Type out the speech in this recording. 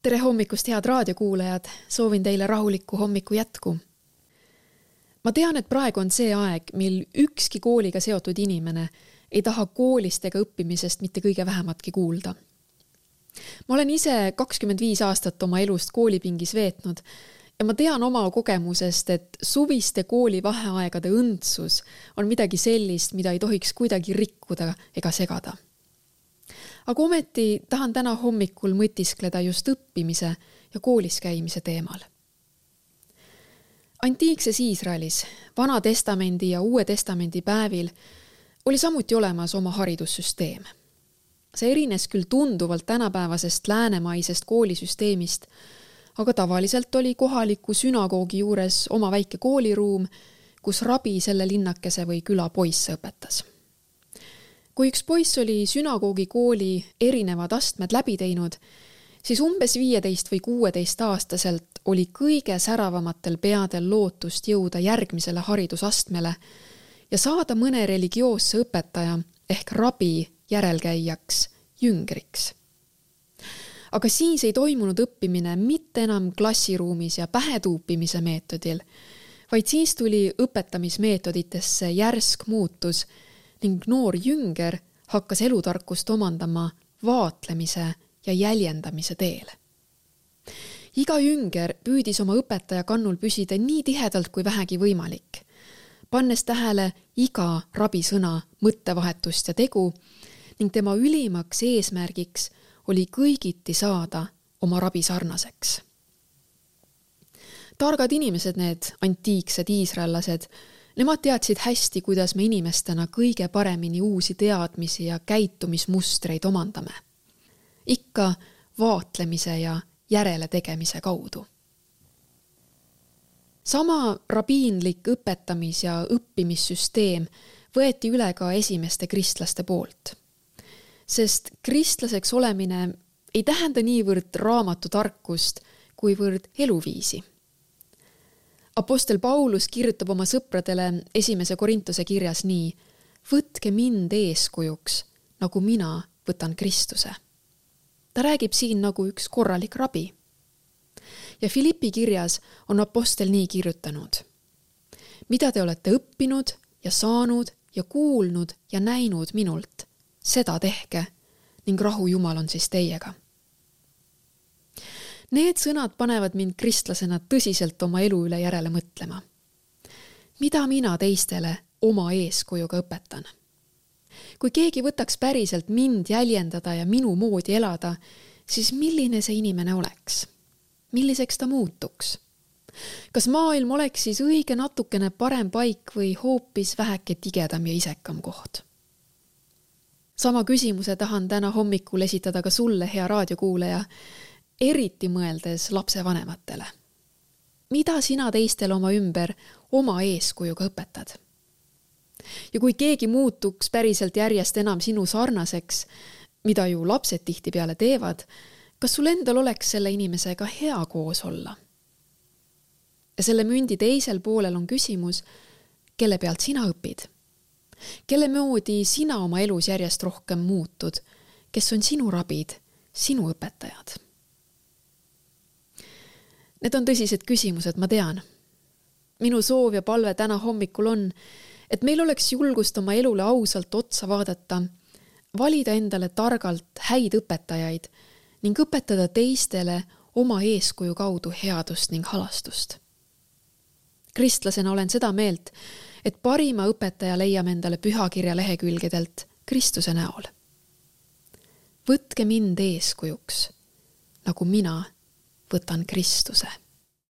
Tere hommikust, head raadiokuulajad! Soovin teile rahulikku hommiku jätku. Ma tean, et praegu on see aeg, mil ükski kooliga seotud inimene ei taha koolist ega õppimisest mitte kõige vähematki kuulda. Ma olen ise 25 aastat oma elust koolipingis veetnud ja ma tean oma kogemusest, et suviste kooli vaheaegade õndsus on midagi sellist, mida ei tohiks kuidagi rikkuda ega segada. Aga ometi tahan täna hommikul mõtiskleda just õppimise ja koolis käimise teemal. Antiikses Iisraelis, Vana Testamendi ja Uue Testamendi päevil oli samuti olemas oma haridussüsteem. See erines küll tunduvalt tänapäevasest läänemaisest koolisüsteemist, aga tavaliselt oli kohaliku sünagoogi juures oma väike kooliruum, kus rabi selle linnakese või küla poisse õpetas. Kui üks poiss oli sünagoogi kooli erinevad astmed läbi teinud, siis umbes 15 või 16 aastaselt oli kõige säravamatel peadel lootust jõuda järgmisele haridusastmele ja saada mõne religioosse õpetaja ehk rabi järelkäijaks, jüngriks. Aga siis ei toimunud õppimine mitte enam klassiruumis ja pähetuupimise meetodil, vaid siis tuli õpetamismeetoditesse järsk muutus ning noor jünger hakkas elutarkust omandama vaatlemise ja jäljendamise teel. Iga jünger püüdis oma õpetaja kannul püsida nii tihedalt kui vähegi võimalik, pannes tähele iga rabisõna mõttevahetust ja tegu ning tema ülimaks eesmärgiks oli kõigiti saada oma rabi sarnaseks. Targad inimesed, need antiiksed iisraellased, nemad teadsid hästi, kuidas me inimestena kõige paremini uusi teadmisi ja käitumismustreid omandame. Ikka vaatlemise ja järele tegemise kaudu. Sama rabiinlik õpetamis- ja õppimissüsteem võeti üle ka esimeste kristlaste poolt. Sest kristlaseks olemine ei tähenda niivõrd raamatutarkust, kuivõrd eluviisi. Apostel Paulus kirjutab oma sõpradele 1. Korintuse kirjas nii: võtke mind eeskujuks, nagu mina võtan Kristuse. Ta räägib siin nagu üks korralik rabi. Ja Filippi kirjas on apostel nii kirjutanud: mida te olete õppinud ja saanud ja kuulnud ja näinud minult, seda tehke ning rahu Jumal on siis teiega. Need sõnad panevad mind kristlasena tõsiselt oma elu üle järele mõtlema. Mida mina teistele oma eeskujuga õpetan? Kui keegi võtaks päriselt mind jäljendada ja minu moodi elada, siis milline see inimene oleks? Milliseks ta muutuks? Kas maailm oleks siis õige natukene parem paik või hoopis väheke tigedam ja isekam koht? Sama küsimuse tahan täna hommikul esitada ka sulle, hea raadiokuulaja, eriti mõeldes lapsevanematele. Mida sina teistele oma ümber oma eeskujuga õpetad? Ja kui keegi muutuks päriselt järjest enam sinu sarnaseks, mida ju lapsed tihtipeale teevad, kas sul endal oleks selle inimesega hea koos olla? Ja selle mündi teisel poolel on küsimus, kelle pealt sina õpid? Kelle moodi sina oma elus järjest rohkem muutud? Kes on sinu rabid, sinu õpetajad? Need on tõsised küsimused, ma tean. Minu soov ja palve täna hommikul on, et meil oleks julgust oma elule ausalt otsa vaadata, valida endale targalt häid õpetajaid ning õpetada teistele oma eeskuju kaudu headust ning halastust. Kristlasena olen seda meelt, et parima õpetaja leiame endale pühakirja lehekülgedelt Kristuse näol. Võtke mind eeskujuks, nagu mina võtan Kristuse.